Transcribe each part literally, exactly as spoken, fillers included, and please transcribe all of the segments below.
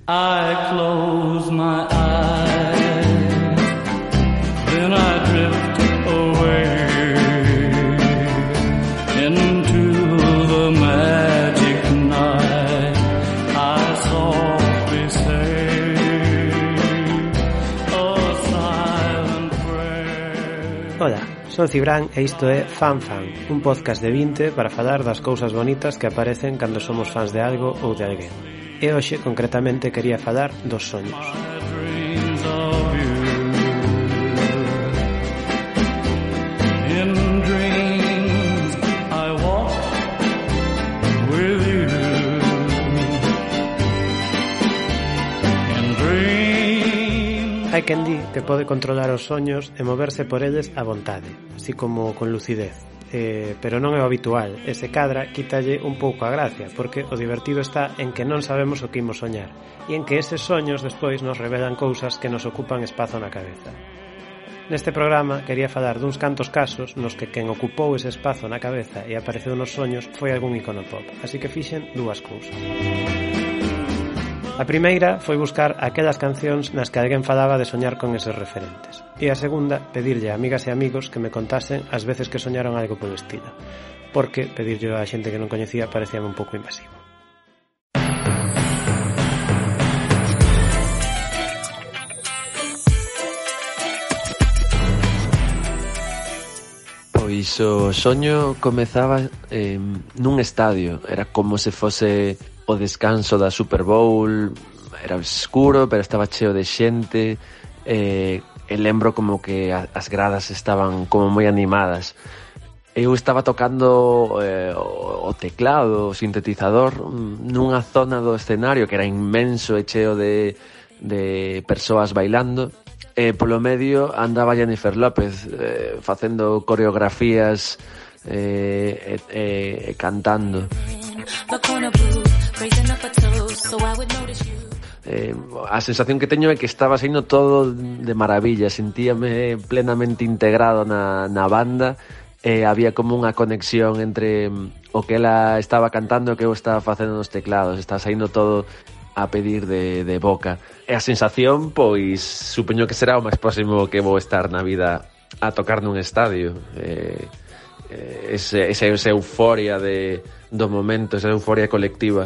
I close my eyes, then I drift away into the magic night. I softly say a silent prayer. Hola, son Cibran e isto é Fan Fan, un podcast de vinte para falar das cousas bonitas que aparecen cando somos fans de algo ou de alguén. E hoxe, concretamente, quería falar dos soños. Hai quen di que pode controlar os soños e moverse por eles a vontade, así como con lucidez. Eh, pero non é o habitual, e se cadra quítalle un pouco a gracia, porque o divertido está en que non sabemos o que imos soñar, e en que eses soños despois nos revelan cousas que nos ocupan espazo na cabeza. Neste programa quería falar duns cantos casos nos que quen ocupou ese espazo na cabeza e apareceu nos soños foi algún icono pop, así que fixen dúas cousas. A primeira foi buscar aquelas cancións nas que alguén falaba de soñar con eses referentes. E a segunda, pedirlle a amigas e amigos que me contasen as veces que soñaron algo polo estilo. Porque pedirlle a xente que non coñecía parecía un pouco invasivo. Pois o soño comezaba eh, nun estadio. Era como se fose o descanso da Super Bowl. Era escuro, pero estaba cheo de xente. eh, e lembro como que as gradas estaban como moi animadas. Eu estaba tocando eh, o teclado, o sintetizador, nunha zona do escenario que era inmenso e cheo de, de persoas bailando. E polo medio andaba Jennifer López eh, facendo coreografías e eh, eh, eh, cantando. Eh, a sensación que teño é que estaba saindo todo de maravilla, sentíame plenamente integrado na, na banda. E había como unha conexión entre o que ela estaba cantando e o que eu estaba facendo nos teclados. Estaba saindo todo a pedir de, de boca. E a sensación, pois, supoño que será o máis próximo que vou estar na vida a tocar nun estadio. Eh, eh, ese, esa, esa euforia de, do momento, esa euforia colectiva.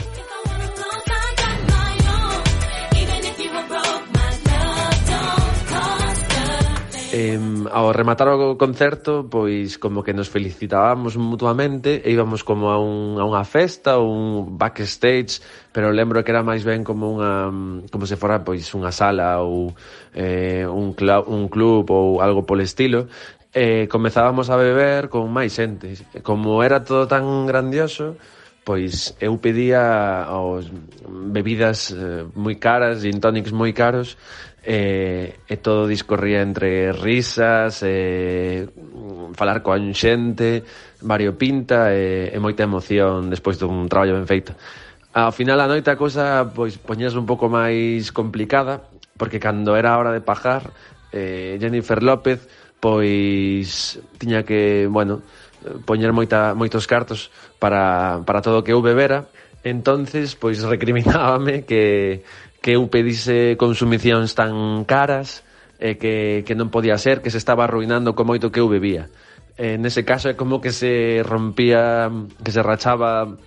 Eh, ao rematar o concerto, pois como que nos felicitábamos mutuamente e íbamos como a, un, a unha festa, un backstage, pero lembro que era máis ben como unha como se fora pois unha sala ou eh, un, cl- un club ou algo polo estilo. E comezábamos a beber con máis xente. Como era todo tan grandioso, pois eu pedía os bebidas eh, moi caras, gin tonics moi caros. E, e todo discorría entre risas, e falar con xente, variopinta e, e moita emoción despois dun traballo ben feito. Ao final a noite a cousa pois poñíase un pouco máis complicada, porque cando era a hora de pagar, eh, Jennifer López pois tiña que, bueno, poñer moita, moitos cartos para, para todo o que eu bebera. Entonces pois recriminábame que que eu pedise consumicións tan caras e que, que non podía ser, que se estaba arruinando co moito que eu bebía. En ese caso é como que se rompía, que se rachaba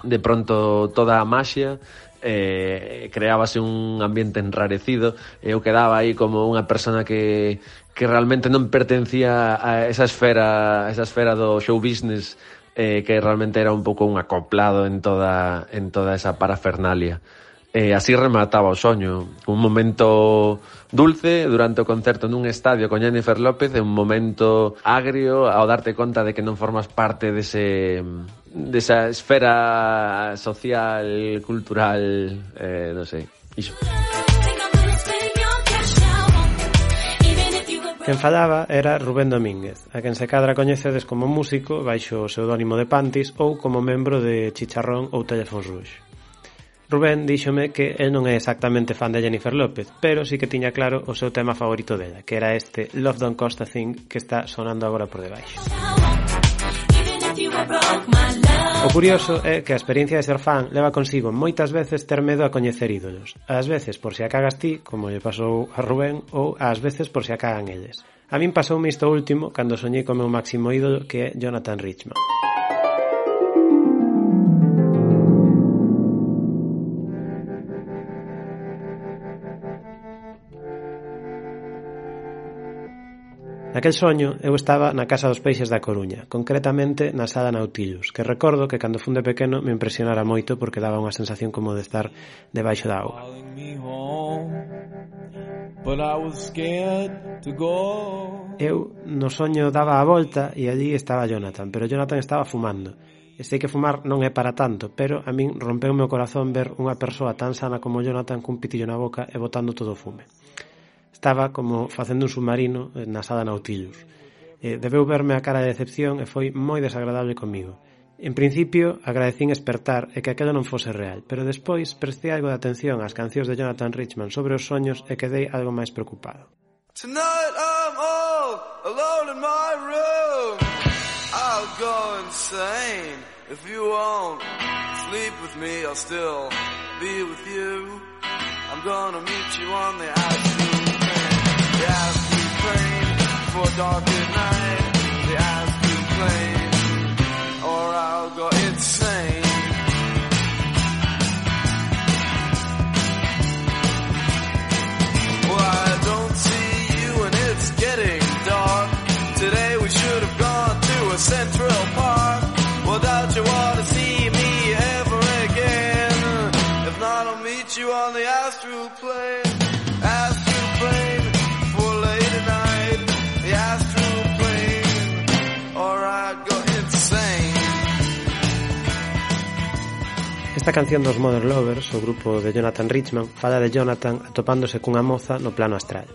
de pronto toda a maxia, eh, creábase un ambiente enrarecido e eu quedaba aí como unha persona que, que realmente non pertencía a esa esfera, a esa esfera do show business, eh, que realmente era un pouco un acoplado en toda, en toda esa parafernalia. E así remataba o soño, un momento dulce durante o concerto nun estadio con Jennifer López e un momento agrio ao darte conta de que non formas parte dese, desa esfera social, cultural, eh, non sei, iso. Quen falaba era Rubén Domínguez, a quen se cadra coñecedes como músico baixo o pseudónimo de Pantis ou como membro de Chicharrón ou Teléfonos Rouge. Rubén díxome que el non é exactamente fan de Jennifer López, pero sí que tiña claro o seu tema favorito dela, que era este Love Don't Cost a Thing que está sonando agora por debaixo. O curioso é que a experiencia de ser fan leva consigo moitas veces ter medo a coñecer ídolos. Ás veces por se a cagas ti, como lle pasou a Rubén, ou ás veces por se a cagan eles. A min pasoume isto último cando soñei co meu máximo ídolo, que é Jonathan Richman. Naquel soño eu estaba na Casa dos Peixes da Coruña, concretamente na Sala Nautilus, que recordo que cando fun de pequeno me impresionara moito porque daba unha sensación como de estar debaixo da auga. Eu no soño daba a volta e allí estaba Jonathan, pero Jonathan estaba fumando. E sei que fumar non é para tanto, pero a min rompeu o meu corazón ver unha persoa tan sana como Jonathan cun pitillo na boca e botando todo o fume. Estaba como facendo un submarino na Sala Nautilus. Eh, debeu verme a cara de decepción e foi moi desagradable comigo. En principio, agradecín espertar e que aquilo non fose real, pero despois prestei algo de atención ás cancións de Jonathan Richman sobre os soños e quedei algo máis preocupado. Tonight I'm all alone in my room. I'll go insane if you won't sleep with me. I'll still be with you. I'm gonna meet you on the ice. The ice plane for dark at night. The ice plane, or I'll go insane. Well, I don't see you and it's getting dark. Today we should have gone to a Central Park. Well, don't you want to see me ever again? If not, I'll meet you on the astral plane. Astral plane. Esta canción dos Modern Lovers, o grupo de Jonathan Richman, fala de Jonathan atopándose cunha moza no plano astral.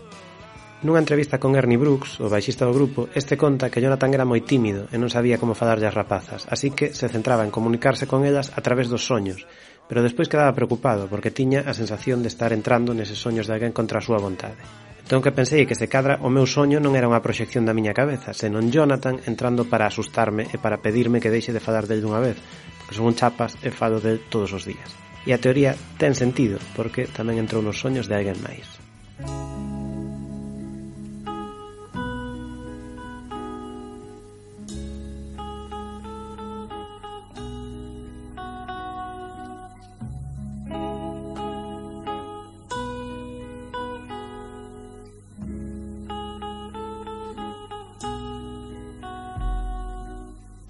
Nunha entrevista con Ernie Brooks, o baixista do grupo, este conta que Jonathan era moi tímido e non sabía como falarlle as rapazas, así que se centraba en comunicarse con elas a través dos soños, pero despois quedaba preocupado porque tiña a sensación de estar entrando neses soños de alguén contra a súa vontade. Entón que pensei que se cadra o meu soño non era unha proxección da miña cabeza, senón Jonathan entrando para asustarme e para pedirme que deixe de falar del dunha vez, porque son un chapas e falo del todos os días. E a teoría ten sentido, porque tamén entrou nos soños de alguén máis.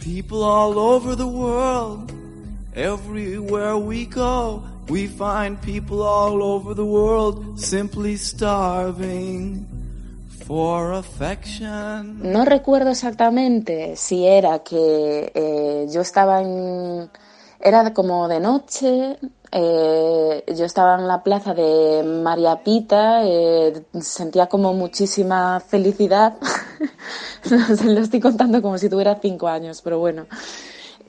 People all over the world, everywhere we go, we find people all over the world simply starving for affection. No recuerdo exactamente si era que eh, yo estaba en... Era como de noche, eh, yo estaba en la plaza de María Pita, eh, sentía como muchísima felicidad. Lo estoy contando como si tuviera cinco años, pero bueno.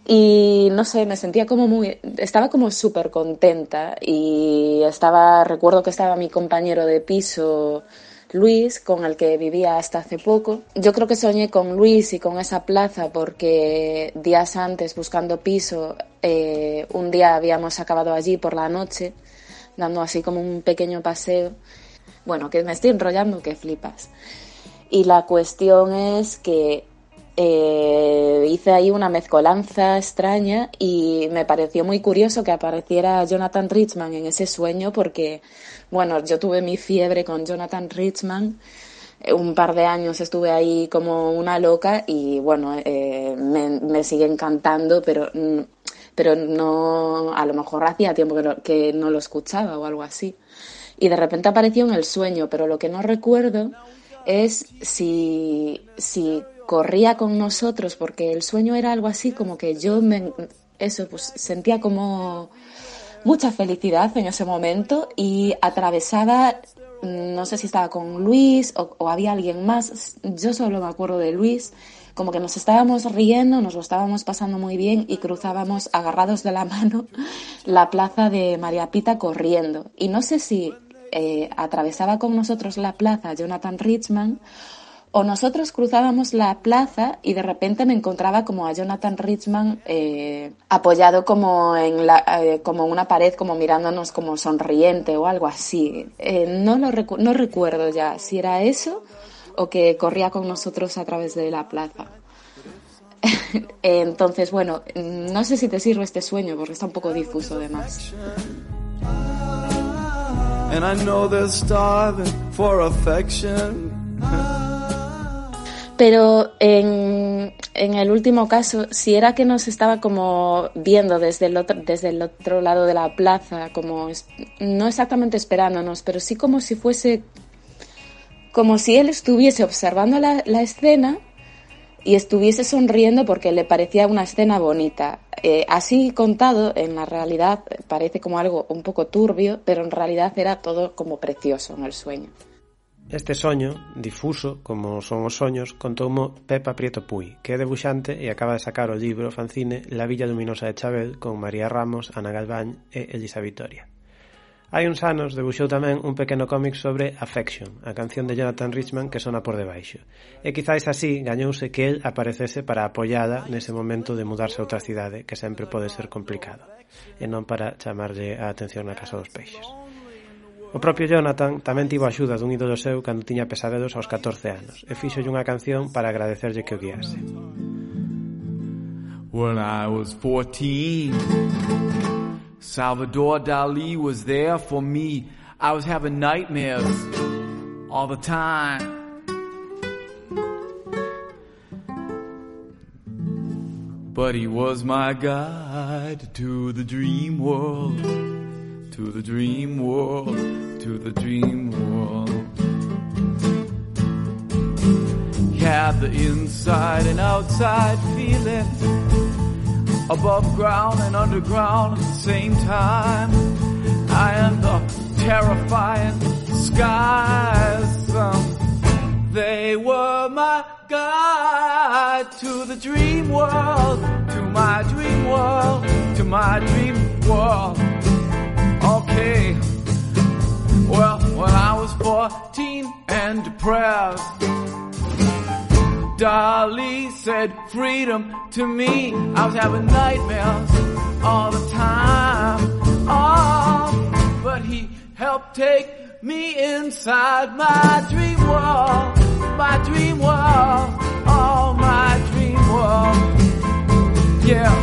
Y no sé, me sentía como muy... Estaba como súper contenta y estaba... Recuerdo que estaba mi compañero de piso, Luis, con el que vivía hasta hace poco. Yo creo que soñé con Luis y con esa plaza porque días antes, buscando piso, eh, un día habíamos acabado allí por la noche, dando así como un pequeño paseo. Bueno, que me estoy enrollando, que flipas. Y la cuestión es que eh, hice ahí una mezcolanza extraña y me pareció muy curioso que apareciera Jonathan Richman en ese sueño porque, bueno, yo tuve mi fiebre con Jonathan Richman, un par de años estuve ahí como una loca y, bueno, eh, me, me sigue encantando, pero, pero no, a lo mejor hacía tiempo que, lo, que no lo escuchaba o algo así. Y de repente apareció en el sueño, pero lo que no recuerdo es si, si corría con nosotros, porque el sueño era algo así como que yo me, eso, pues sentía como mucha felicidad en ese momento y atravesaba, no sé si estaba con Luis o, o había alguien más, yo solo me acuerdo de Luis, como que nos estábamos riendo, nos lo estábamos pasando muy bien y cruzábamos agarrados de la mano la plaza de María Pita corriendo. Y no sé si eh, atravesaba con nosotros la plaza Jonathan Richman O nosotros cruzábamos la plaza y de repente me encontraba como a Jonathan Richman eh, apoyado como en la, eh, como una pared, como mirándonos como sonriente o algo así. Eh, no, lo recu- no recuerdo ya si era eso o que corría con nosotros a través de la plaza. Entonces, bueno, no sé si te sirve este sueño porque está un poco difuso además. And I know they're starving for affection. Pero en, en el último caso, si era que nos estaba como viendo desde el otro, desde el otro lado de la plaza, como es, no exactamente esperándonos, pero sí como si fuese, como si él estuviese observando la, la escena y estuviese sonriendo porque le parecía una escena bonita. Eh, así contado, en la realidad parece como algo un poco turbio, pero en realidad era todo como precioso en el sueño. Este soño, difuso, como son os soños, contoumo Pepa Prieto Puy, que é debuxante e acaba de sacar o libro fanzine La Villa Luminosa de Chabel con María Ramos, Ana Galván e Elisa Vitoria. Hai uns anos debuxou tamén un pequeno cómic sobre Affection, a canción de Jonathan Richman que sona por debaixo. E quizáis así gañouse que el aparecese para apoiala nese momento de mudarse a outra cidade, que sempre pode ser complicado, e non para chamarlle a atención na Casa dos Peixes. O propio Jonathan tamén tivo a axuda dun ídolo seu cando tiña pesadelos aos catorce anos e fíxolle unha canción para agradecerlle que o guiase. When I was fourteen, Salvador Dali was there for me. I was having nightmares all the time. But he was my guide to the dream world. To the dream world, to the dream world. He had the inside and outside feeling, above ground and underground at the same time. And the terrifying skies, um, they were my guide to the dream world, to my dream world, to my dream world. Okay, well, when I was fourteen and depressed, Dali said freedom to me. I was having nightmares all the time. Oh, but he helped take me inside my dream world, my dream world, oh, my dream world. Yeah.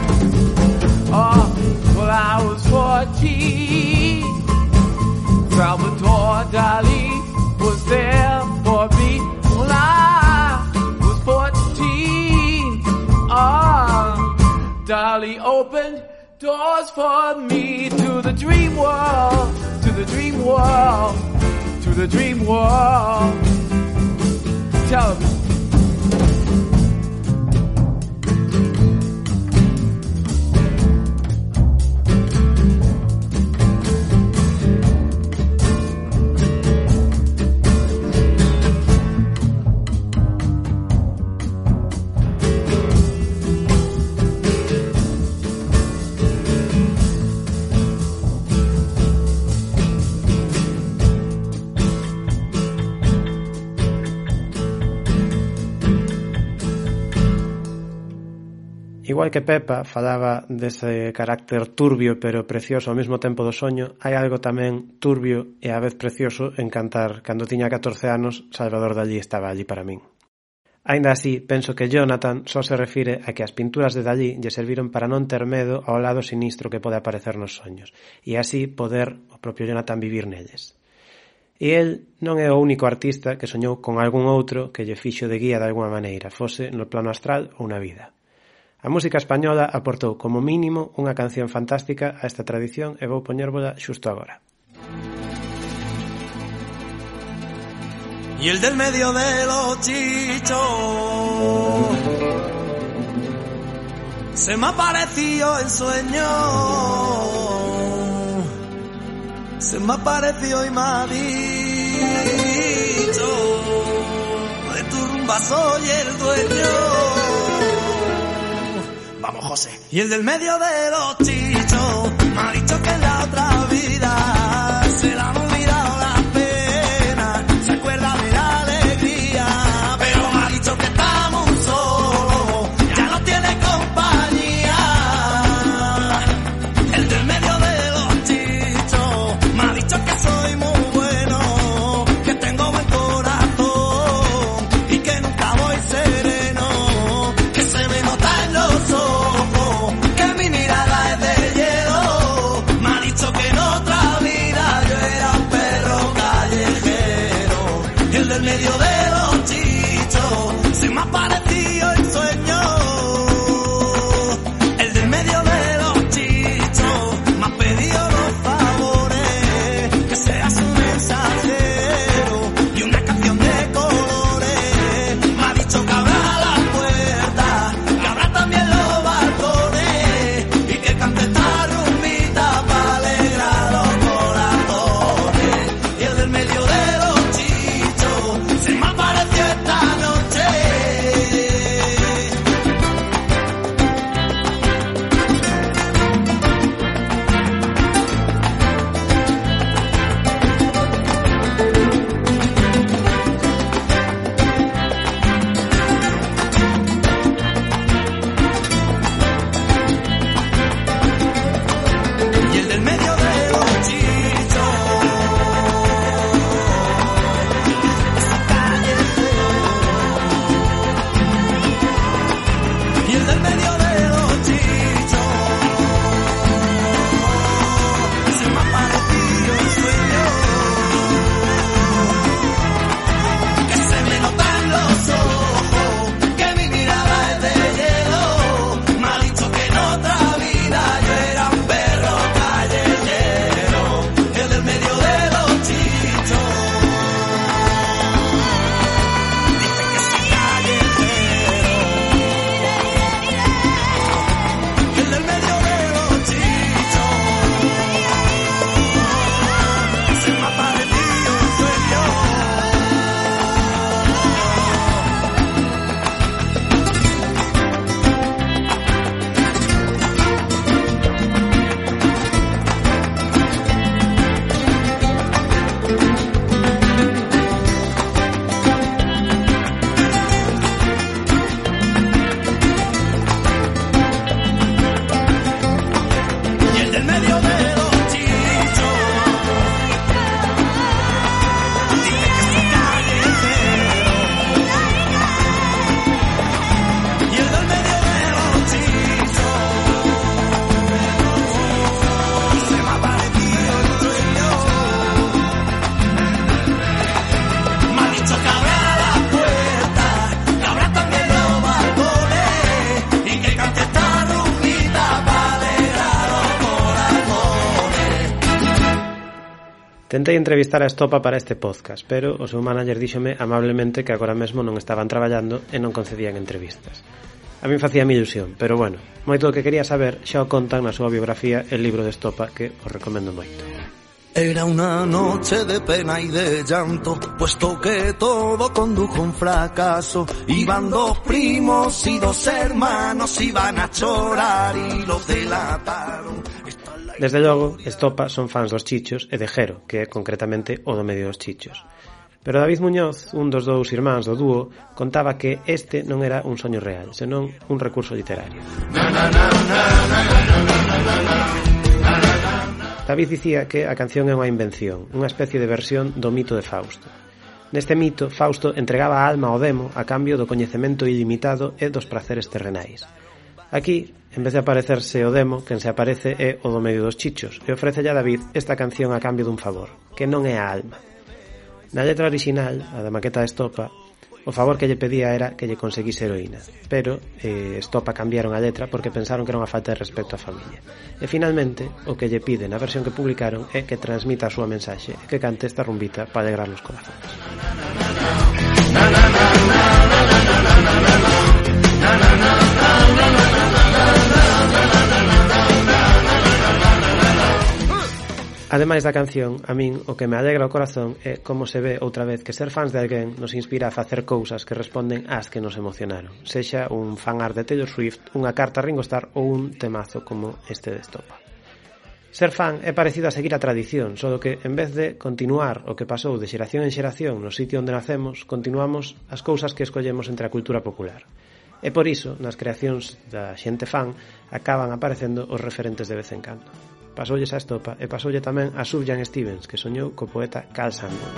Oh, well, I was fourteen. Salvador Dali was there for me. Well, I was fourteen. Oh, Dali opened doors for me to the dream world, to the dream world, to the dream world. Tell me. Igual que Pepa falaba dese carácter turbio pero precioso ao mesmo tempo do soño, hai algo tamén turbio e á vez precioso en cantar Cando tiña catorce anos, Salvador Dalí estaba allí para min. Aínda así, penso que Jonathan só se refire a que as pinturas de Dalí lle serviron para non ter medo ao lado sinistro que pode aparecer nos soños, e así poder o propio Jonathan vivir nelles. E el non é o único artista que soñou con algún outro que lle fixo de guía de alguma maneira, fose no plano astral ou na vida. A música española aportou como mínimo unha canción fantástica a esta tradición e vou poñérvola xusto agora. Y el del medio de los chichos se me apareció en sueño, se me apareció y me ha dicho, de tu rumba soy el dueño. Vamos, José. Y el del medio de los chichos me ha dicho que en la otra vida se la han olvidado las penas, se acuerda de la alegría, pero Tentei entrevistar a Estopa para este podcast, pero o seu manager díxome amablemente que agora mesmo non estaban traballando e non concedían entrevistas. A min facía mi ilusión, pero bueno, moito do que quería saber xa o contan na súa biografía El libro de Estopa, que os recomendo moito. Era una noche de pena y de llanto, puesto que todo condujo a un fracaso. Iban dos primos y dos hermanos, iban a chorar y los delataron. Desde logo, Estopa son fans dos Chichos e de Jero, que é concretamente o do medio dos Chichos. Pero David Muñoz, un dos dous irmáns do dúo, contaba que este non era un soño real, senón un recurso literario. David dicía que a canción é unha invención, unha especie de versión do mito de Fausto. Neste mito, Fausto entregaba a alma ao demo a cambio do coñecemento ilimitado e dos praceres terrenais. Aquí, en vez de aparecerse o demo, quen se aparece é o do medio dos Chichos e ofrece a David esta canción a cambio dun favor, que non é a alma. Na letra original, a da maqueta de Estopa, o favor que lle pedía era que lle conseguise heroína, pero eh, Estopa cambiaron a letra porque pensaron que era unha falta de respecto á familia. E finalmente, o que lle pide na versión que publicaron é que transmita a súa mensaxe e que cante esta rumbita para alegrar os corazones. Ademais da canción, a min o que me alegra o corazón é como se ve outra vez que ser fans de alguén nos inspira a facer cousas que responden ás que nos emocionaron, sexa un fanart de Taylor Swift, unha carta a Ringo Starr ou un temazo como este de Estopa. Ser fan é parecido a seguir a tradición, só que en vez de continuar o que pasou de xeración en xeración no sitio onde nacemos, continuamos as cousas que escollemos entre a cultura popular. E por iso, nas creacións da xente fan, acaban aparecendo os referentes de vez en cando. Pasoulle a Estopa e pasoulle tamén a Sufjan Stevens, que soñou co poeta Carl Sandburg.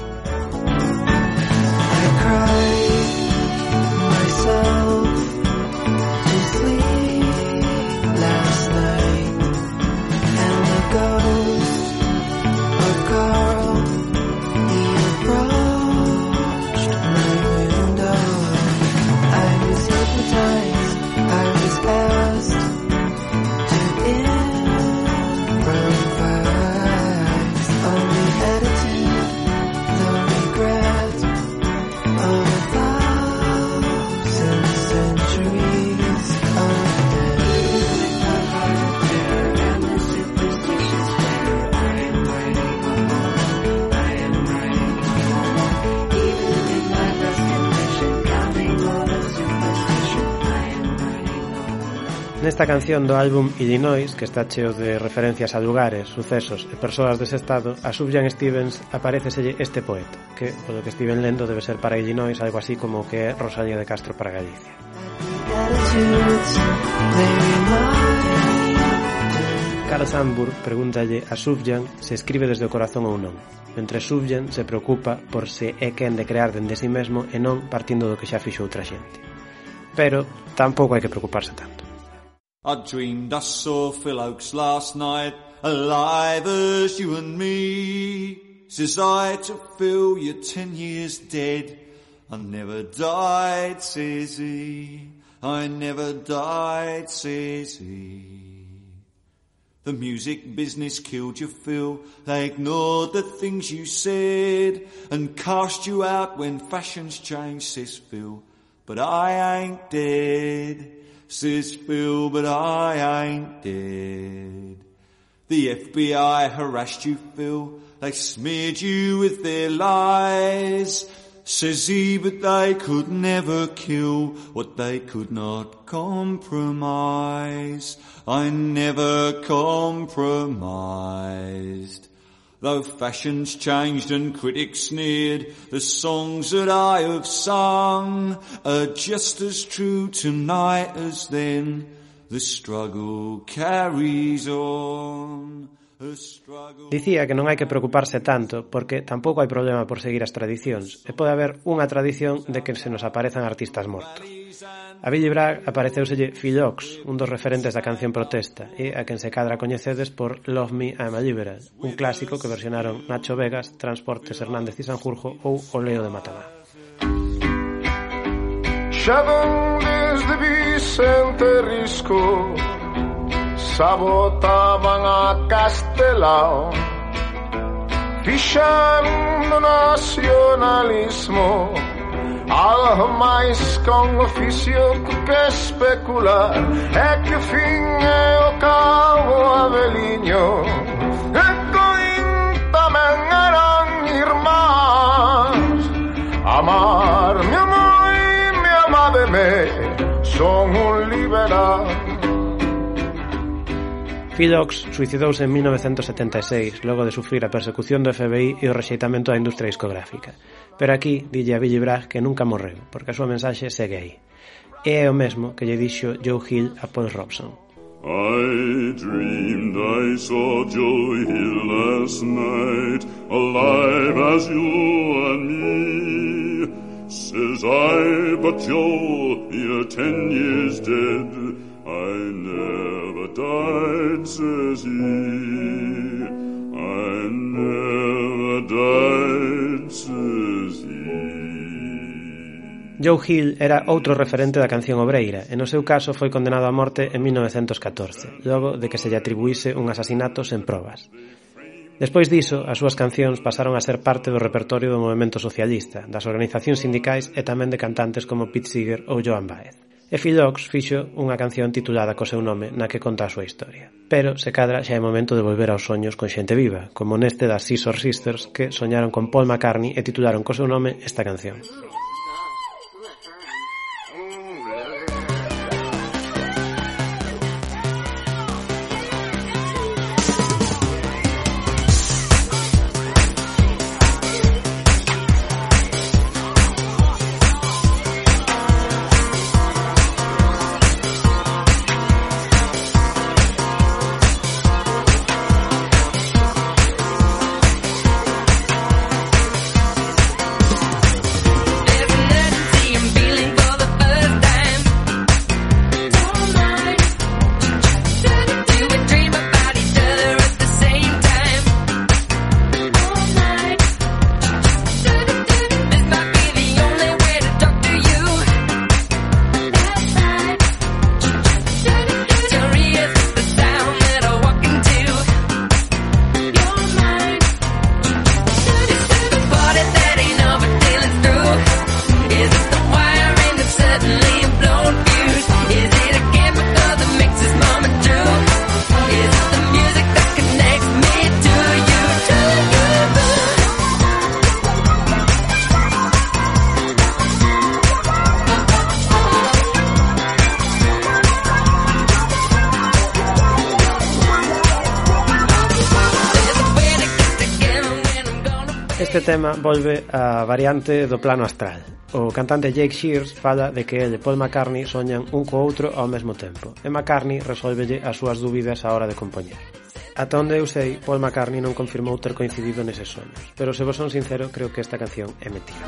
Nesta canción do álbum Illinois, que está cheo de referencias a lugares, sucesos e persoas dese estado, a Sufjan Stevens apareceselle este poeta, que, polo que estiven lendo, debe ser para Illinois algo así como que é Rosalía de Castro para Galicia. Carl Sandburg pregúntalle a Sufjan se escribe desde o corazón ou non, mentre Sufjan se preocupa por se é quen de crear dende si mesmo e non partindo do que xa fixo outra xente. Pero tampouco hai que preocuparse tanto. I dreamed I saw Phil Oakes last night, alive as you and me. Says I to Phil, you're ten years dead. I never died, says he. I never died, says he. The music business killed you, Phil. They ignored the things you said and cast you out when fashions changed, says Phil. But I ain't dead. Says Phil, but I ain't dead. The F B I harassed you, Phil. They smeared you with their lies. Says he, but they could never kill what they could not compromise. I never compromised. Though fashions changed and critics sneered, the songs that I have sung are just as true tonight as then. The struggle carries on. Dicía que non hai que preocuparse tanto porque tampouco hai problema por seguir as tradicións e pode haber unha tradición de que se nos aparezan artistas mortos. A Billy Bragg apareceuselle Phil Oakes, un dos referentes da canción protesta e a quen se cadra coñecedes por Love Me, I'm a Liberal, un clásico que versionaron Nacho Vegas, Transportes Hernández y Sanjurjo ou O Leo de Matamá. Chegan desde Vicente Risco, sabotaban a Castelao, fixan do nacionalismo algo máis con oficio que especular, é que o fin é o cabo abeliño, e coín tamén eran irmás. Amar-me a moi, me amademe, son un liberal. Phil Ochs suicidouse en mil novecientos setenta e seis logo de sufrir a persecución do F B I e o rexeitamento da industria discográfica. Pero aquí dille a Billy Bragg que nunca morreu, porque a súa mensaxe segue aí. E é o mesmo que lle dixo Joe Hill a Paul Robson. I dreamed I saw Joe Hill last night, alive as you and me. Says I, but Joe, you're ten years dead. I never died, says he. I never died, says he. Joe Hill era outro referente da canción obreira e no seu caso foi condenado a morte en mil novecientos catorce, logo de que se lle atribuíse un asasinato sen probas. Despois diso, as súas cancións pasaron a ser parte do repertorio do movemento socialista, das organizacións sindicais e tamén de cantantes como Pete Seeger ou Joan Baez. E Phil Ochs fixo unha canción titulada co seu nome na que conta a súa historia. Pero, se cadra, xa é momento de volver aos soños con xente viva, como neste das Scissor Sisters que soñaron con Paul McCartney e titularon co seu nome esta canción. Este tema volve a variante do plano astral. O cantante Jake Shears fala de que ele e Paul McCartney soñan un co outro ao mesmo tempo, e McCartney resolvelle as súas dúbidas á hora de compoñer. Ata onde eu sei, Paul McCartney non confirmou ter coincidido neses soños, pero se vos son sincero, creo que esta canción é mentira.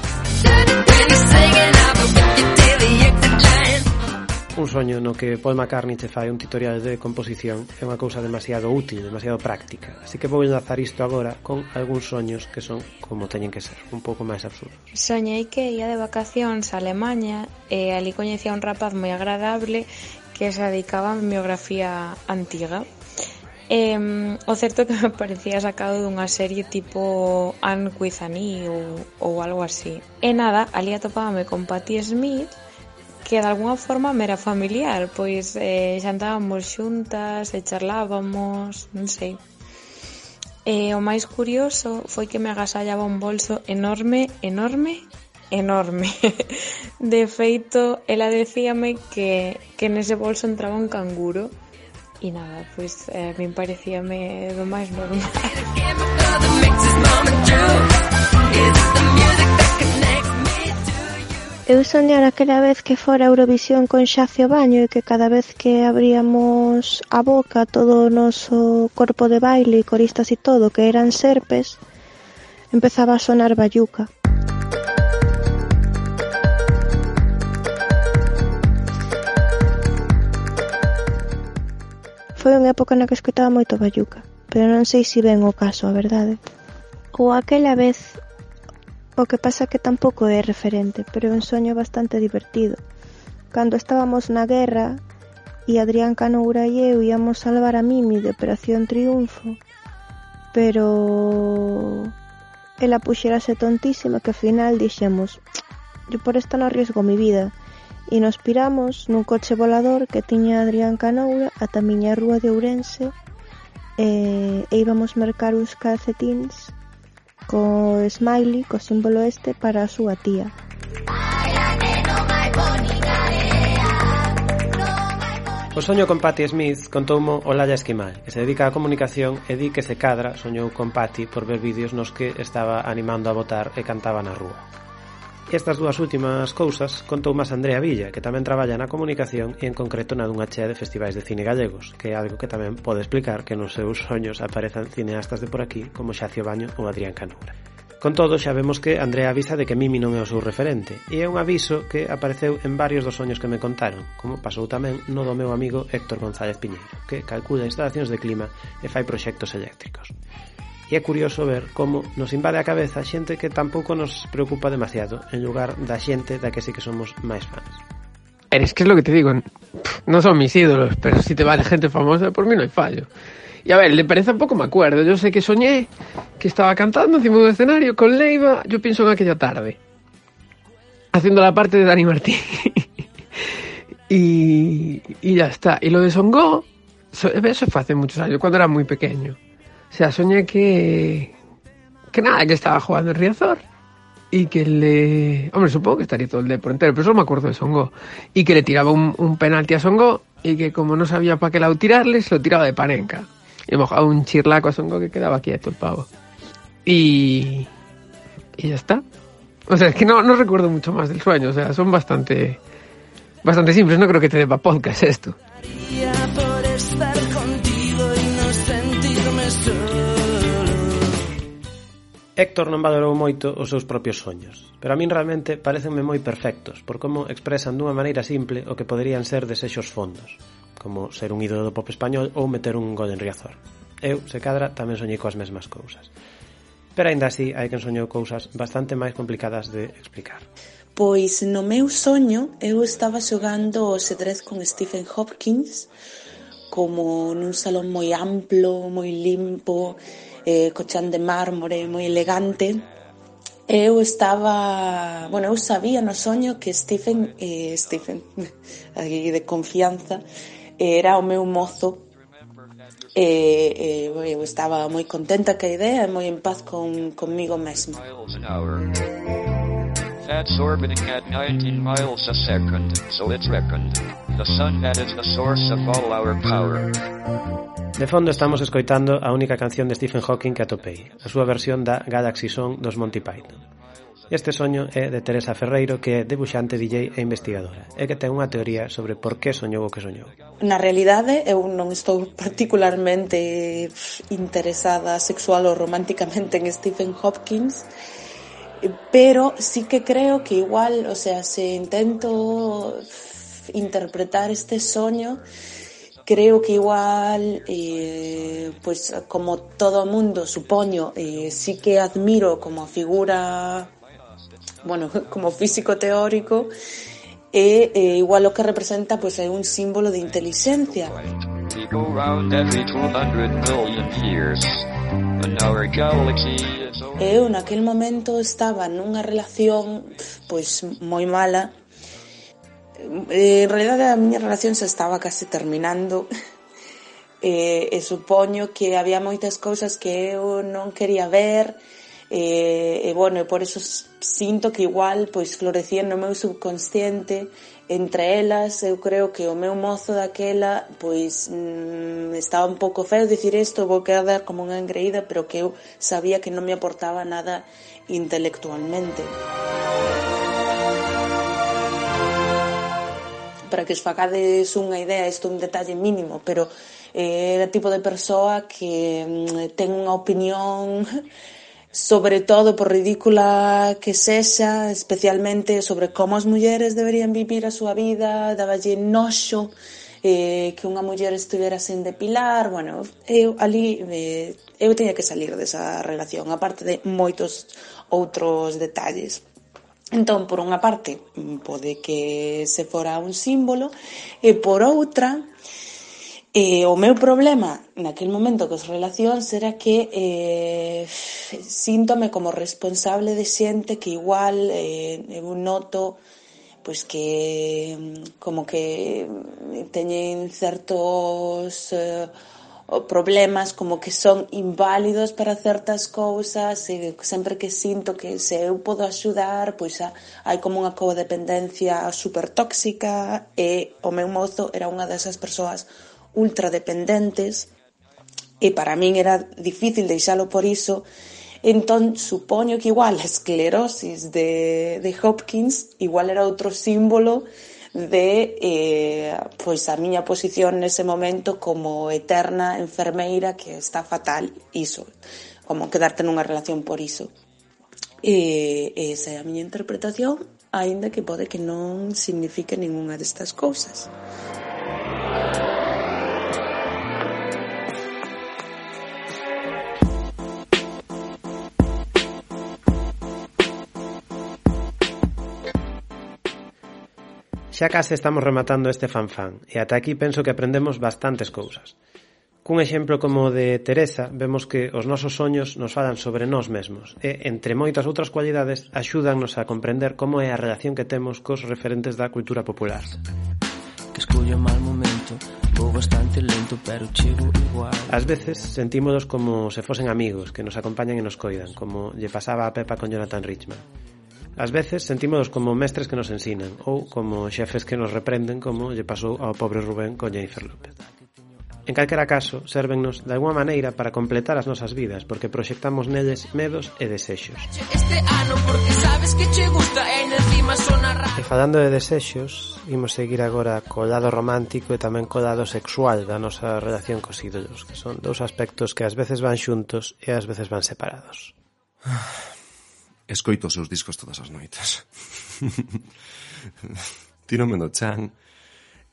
Un soño no que Paul McCartney te fai un tutorial de composición é unha cousa demasiado útil, demasiado práctica. Así que vou enlazar isto agora con algúns soños que son como teñen que ser, un pouco máis absurdos. Soñei que ia de vacacións a Alemanha e ali coñecía un rapaz moi agradable que se dedicaba a biografía antiga. E, o certo que me parecía sacado dunha serie tipo Anne with Annie ou, ou algo así. E nada, ali atopábame con Patti Smith, que de alguna forma me era familiar, pois eh, xantábamos xuntas e charlábamos, non sei. E o máis curioso foi que me agasallaba un bolso enorme, enorme, enorme. De feito, ela decíame que, que nese bolso entraba un canguro. E nada, pois eh, me parecíame do máis normal. Eu soñara aquela vez que fora Eurovisión con Xacio Baño e que cada vez que abríamos a boca todo o noso corpo de baile e coristas e todo que eran serpes, empezaba a sonar Bayuca. Foi unha época na que escoitaba moito Bayuca, pero non sei se ven o caso, a verdade. Ou aquela vez, o que pasa que tampouco é referente, pero é un soño bastante divertido. Cando estábamos na guerra e Adrián Canoura e eu íamos salvar a Mimi de Operación Triunfo, pero ela puxerase tontísima que ao final dixemos, yo por esta non arriesgo mi vida, e nos piramos nun coche volador que tiña Adrián Canoura ata a miña rúa de Ourense e, e íbamos mercar uns calcetins co smiley, co símbolo este para a súa tía. O soño con Patti Smith contoumo Olalla Esquimal, que se dedica á comunicación e di que se cadra soñou con Patti por ver vídeos nos que estaba animando a votar e cantaba na rúa. Estas dúas últimas cousas contou máis Andrea Villa, que tamén traballa na comunicación e en concreto na dunha chea de festivais de cine gallegos, que é algo que tamén pode explicar que nos seus soños aparezan cineastas de por aquí como Xacio Baño ou Adrián Canoura. Con todo, xa vemos que Andrea avisa de que Mimi non é o seu referente, e é un aviso que apareceu en varios dos soños que me contaron, como pasou tamén no do meu amigo Héctor González Piñeiro, que calcula instalacións de clima e fai proxectos eléctricos. E é curioso ver como nos invade a cabeza xente que tampouco nos preocupa demasiado, en lugar da xente da que sí que somos máis fans. Eres que es lo que te digo, no son mis ídolos, pero si te vale gente famosa, por mí no hay fallo. Y a ver, de Pereza poco me acuerdo. Yo sé que soñé que estaba cantando encima de un escenario con Leiva, yo pienso en aquella tarde, haciendo la parte de Dani Martín. y, y ya está. Y lo de Songo, eso fue hace muchos años, cuando era muy pequeño. O sea, soñé que... Que nada, que estaba jugando en Riazor y que le... Hombre, supongo que estaría todo el día por entero, pero solo me acuerdo de Songo. Y que le tiraba un, un penalti a Songo y que como no sabía para qué lado tirarle, se lo tiraba de panenca. Y mojaba un chirlaco a Songo que quedaba quieto el pavo. Y... Y ya está. O sea, es que no, no recuerdo mucho más del sueño. O sea, son bastante... Bastante simples. No creo que te dé pa' podcast esto. Por estar contigo y no sentirme solo. Héctor non valorou moito os seus propios soños, pero a min realmente parecenme moi perfectos por como expresan dunha maneira simple o que poderían ser desexos fondos, como ser un ídolo do pop español ou meter un gol en Riazor. Eu, se cadra, tamén soñei coas mesmas cousas. Pero aínda así hai quen soñou cousas bastante máis complicadas de explicar. Pois no meu soño eu estaba xogando o xadrez con Stephen Hopkins, como nun salón moi amplo, moi limpo, eh, co chan de mármore moi elegante. Eu estaba, bueno, eu sabía no soño que Stephen, eh, Stephen, aquí de confianza, era o meu mozo. E, eh, eu estaba moi contenta ca idea e moi en paz con comigo mesma. That's orbiting at nineteen miles a second, so it's reckoned. The sun that is the source of all our power. De fondo estamos escoitando a única canción de Stephen Hawking que atopei, a súa versión da Galaxy Song dos Monty Python. Este soño é de Teresa Ferreiro, que é debuxante, D J e investigadora, e que ten unha teoría sobre por que soñou o que soñou. Na realidade, eu non estou particularmente interesada sexual ou románticamente en Stephen Hopkins, pero sí que creo que igual, o sea, se intento interpretar este soño, creo que igual, eh, pues como todo mundo, supoño, eh, sí que admiro como figura, bueno, como físico teórico, e eh, igual o que representa pues é un símbolo de inteligencia. Eu naquel momento estaba nunha relación pois moi mala. En realidade a miña relación se estaba case terminando e, e supoño que había moitas cousas que eu non quería ver e, e bueno, e por eso sinto que igual pois florecían no meu subconsciente. Entre elas, eu creo que o meu mozo daquela pois mmm, estaba un pouco feo dicir isto, vou quedar como unha engreída, pero que eu sabía que non me aportaba nada intelectualmente. Para que os facades unha idea, isto é un detalle mínimo, pero eh, era tipo de persoa que mm, ten unha opinión, sobre todo por ridícula que sexa, especialmente sobre como as mulleres deberían vivir a súa vida, daballe noxo eh, que unha muller estivera sen depilar. Bueno, eu ali eh, eu teña que salir desa relación, aparte de moitos outros detalles. Entón, por unha parte, pode que se fora un símbolo, e por outra, E o meu problema naquele momento cos relacións era que eh, síntome como responsable de xente que igual eh, eu noto pois que como que teñen certos eh, problemas, como que son inválidos para certas cousas, e sempre que sinto que se eu podo axudar, pois a, hai como unha codependencia super tóxica, e o meu mozo era unha desas persoas ultradependentes, e para min era difícil deixalo por iso. Entón, supoño que igual a esclerosis de, de Hopkins igual era outro símbolo de eh, pois a miña posición nese momento como eterna enfermeira que está fatal, iso, como quedarte nunha relación por iso. E esa é a miña interpretación, aínda que pode que non signifique ningunha destas cousas. Xa case estamos rematando este fanfán, e ata aquí penso que aprendemos bastantes cousas. Cun exemplo como o de Teresa, vemos que os nosos soños nos falan sobre nós mesmos, e, entre moitas outras cualidades, axúdannos a comprender como é a relación que temos cos referentes da cultura popular. Que escollo mal momento, vou bastante lento, pero chego igual. Ás veces sentímonos como se fosen amigos, que nos acompañan e nos coidan, como lle pasaba a Pepa con Jonathan Richman. Ás veces sentímonos como mestres que nos ensinan, ou como xefes que nos reprenden, como lle pasou ao pobre Rubén con Jennifer López. En calquera caso, sérvennos de alguma maneira para completar as nosas vidas, porque proxectamos nelles medos e desexos. Este ano porque sabes que che gusta e encima sona raro. E falando de desexos, imos seguir agora co lado romántico e tamén co lado sexual da nosa relación cos ídolos, que son dous aspectos que ás veces van xuntos e ás veces van separados. Escoito os seus discos todas as noites. Tírome no chan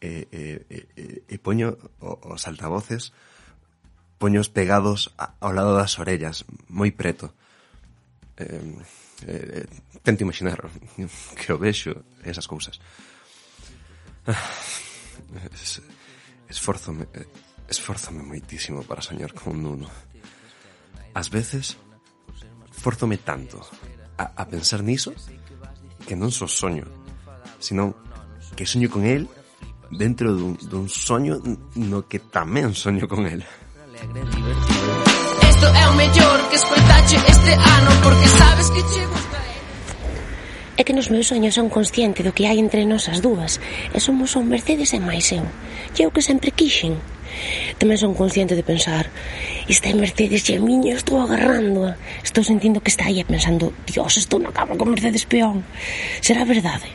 e, e, e, e poño os altavoces, poños pegados ao lado das orellas, moi preto. Eh, eh, tento imaginar que o vexo esas cousas. Es, esforzome, esforzome moitísimo para soñar con un Nuno. Ás veces, esforzome tanto a, a pensar niso que non só soño, sino que soño con el dentro dun, dun soño no que tamén soño con el. Isto é o mellor que escoitache este ano porque sabes que che gusta. É que nos meus soños son consciente do que hai entre nós as dúas, e somos un Mercedes e máis eu, e eu que sempre quixen. Tamén son consciente de pensar, esta é Mercedes e a miña, estou agarrándoa, estou sentindo que está aí, pensando, Dios, estou na cama con Mercedes peón. Será verdade?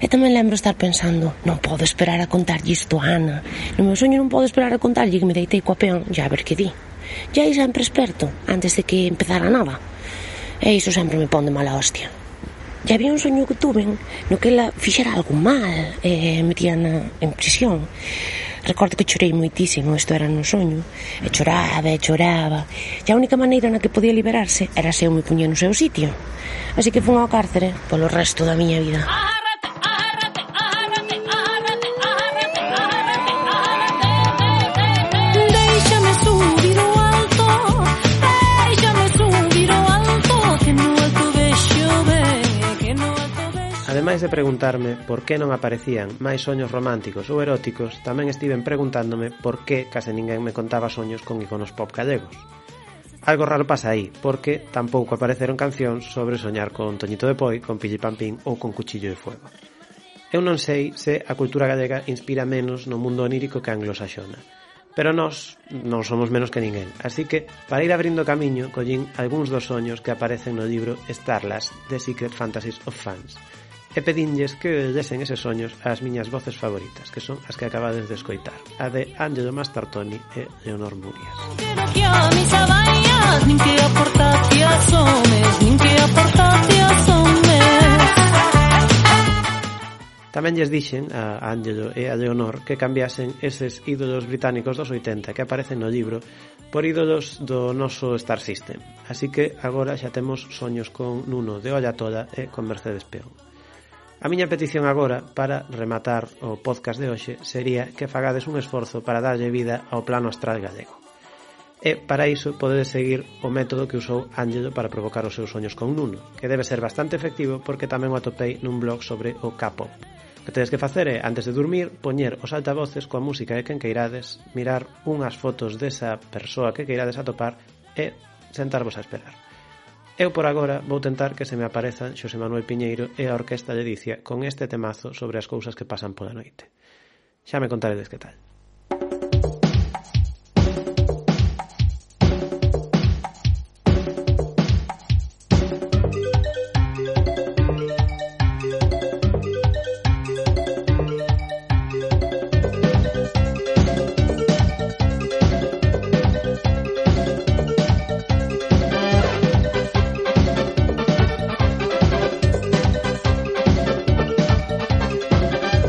E tamén lembro estar pensando, non podo esperar a contarlle isto a Ana, no meu soño non podo esperar a contarlle que me deitei coa peón, ya a ver que di. Ya aí sempre esperto, antes de que empezara nada. E iso sempre me pon de mala hostia. Ya había un soño que tuven no que ela fixera algo mal e metíana en prisión. Recordo que chorei moitísimo, isto era no soño, e choraba e choraba, e a única maneira na que podía liberarse era se eu me puñía no seu sitio. Así que fun ao cárcere polo resto da miña vida. Déixame subir ao alto, déixame subir ao alto, que no alto vexo ben, que no alto vexo. Ademais de preguntarme por que non aparecían máis soños románticos ou eróticos, tamén estiven preguntándome por que case ninguén me contaba soños con iconos pop gallegos. Algo raro pasa aí, porque tampouco apareceron cancións sobre soñar con Toñito de Poi, con Pilli Pampín ou con Cuchillo de Fuego. Eu non sei se a cultura gallega inspira menos no mundo onírico que a anglosaxona, pero nós non somos menos que ninguén, así que, para ir abrindo camiño, collín algúns dos soños que aparecen no libro Starlast, The Secret Fantasies of Fans, e pedinlles que lesen eses soños ás miñas voces favoritas, que son as que acabades de escoitar, a de Angelo Mastartoni e Leonor Murias. Tamén lles dixen a Angelo e a Leonor que cambiasen eses ídolos británicos dos oitenta que aparecen no libro por ídolos do noso Star System, así que agora xa temos soños con Nuno de Olla Toda e con Mercedes Peón. A miña petición agora, para rematar o podcast de hoxe, sería que fagades un esforzo para darlle vida ao plano astral gallego. E, para iso, podedes seguir o método que usou Ángelo para provocar os seus soños con Nuno, que debe ser bastante efectivo porque tamén o atopei nun blog sobre o K-pop. O que tedes que facer é, antes de dormir, poñer os altavoces coa música de quen queirades, mirar unhas fotos desa persoa que queirades atopar e sentarvos a esperar. Eu por agora vou tentar que se me aparezan Xosé Manuel Piñeiro e a Orquesta Ledicia con este temazo sobre as cousas que pasan pola noite. Xa me contaredes que tal.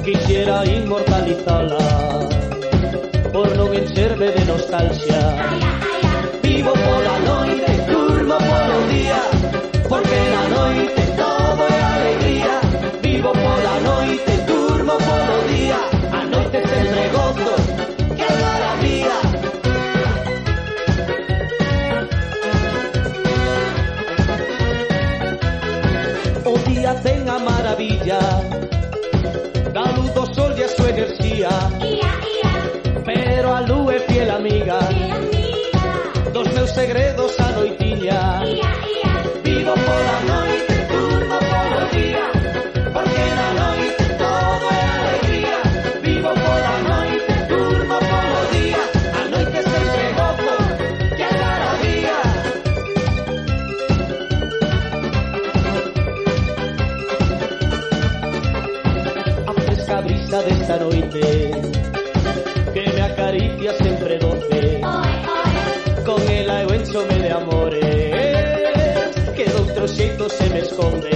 Quisiera inmortalizala por non encherme de nostalgia. Vivo pola noite, durmo polo día, porque na noite todo é alegría. Vivo pola noite, durmo polo día, a noite sempre gozo, que maravilla. O día ten a maravilla da luz do sol e a súa enerxía, pero a luz é fiel amiga dos meus segredos a noitiña. Vivo pola noite, durmo polo día, porque na noite todo é alegría. Vivo pola noite, durmo polo día, a noite sempre gozo, que maravilla. A brisa desta noite que me acaricia sempre doce, con ela eu enchome de amores que doutro xeito se me esconde.